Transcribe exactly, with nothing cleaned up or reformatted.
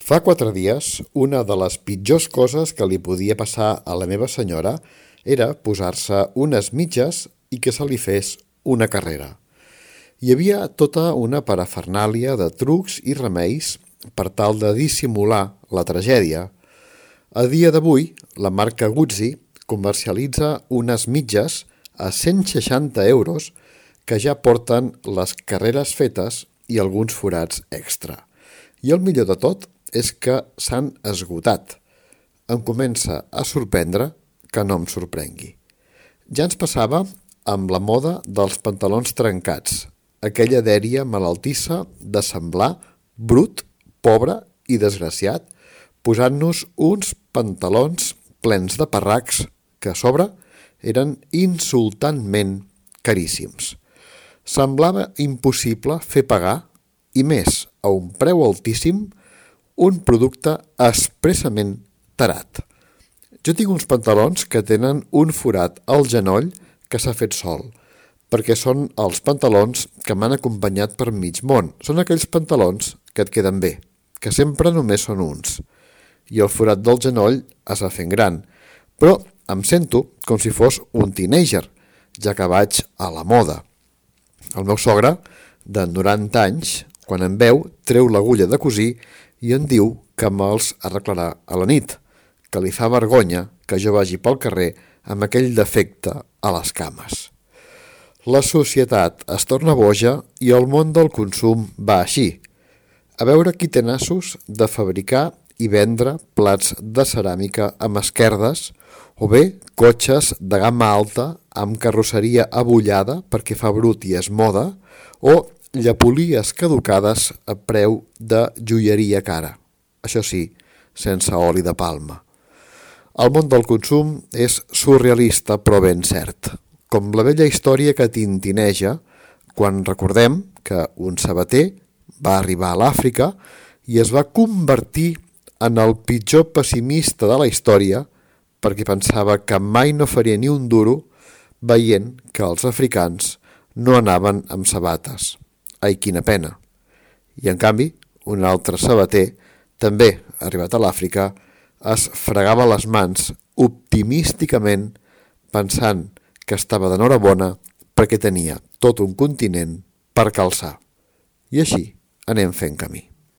Fa quatre dies, una de les pitjors coses que li podia passar a la meva senyora era posar-se unes mitges i que se li fes una carrera. Hi havia tota una parafernàlia de trucs i remeis per tal de dissimular la tragèdia. A dia d'avui, la marca Guzzi comercialitza unes mitges a cent seixanta euros que ja porten les carreres fetes i alguns forats extra. I el millor de tot és que s'han esgotat. Em comença a sorprendre que no em sorprengui. Ja ens passava amb la moda dels pantalons trencats, aquella dèria malaltissa de semblar brut, pobre i desgraciat, posant-nos uns pantalons plens de parracs que a sobre eren insultantment caríssims. Semblava impossible fer pagar, i més a un preu altíssim, un producte expressament tarat. Jo tinc uns pantalons que tenen un forat al genoll que s'ha fet sol, perquè són els pantalons que m'han acompanyat per mig món. Són aquells pantalons que et queden bé, que sempre només són uns. I el forat del genoll es va fent gran, però em sento com si fos un teenager, ja que vaig a la moda. El meu sogre, de noranta anys, quan em veu, treu l'agulla de cosir i em diu que me'ls arreglarà a la nit, que li fa vergonya que jo vagi pel carrer amb aquell defecte a les cames. La societat es torna boja i el món del consum va així. A veure qui té nassos de fabricar i vendre plats de ceràmica amb esquerdes o bé cotxes de gamma alta amb carrosseria abollada perquè fa brut i és moda o llepolies caducades a preu de joieria cara. Això sí, sense oli de palma. El món del consum és surrealista però ben cert, com la vella història que tintineja quan recordem que un sabater va arribar a l'Àfrica i es va convertir en el pitjor pessimista de la història perquè pensava que mai no faria ni un duro veient que els africans no anaven amb sabates. Ai, quina pena. I en canvi, un altre sabater, també arribat a l'Àfrica, es fregava les mans optimísticament pensant que estava d'enhorabona perquè tenia tot un continent per calçar. I així anem fent camí.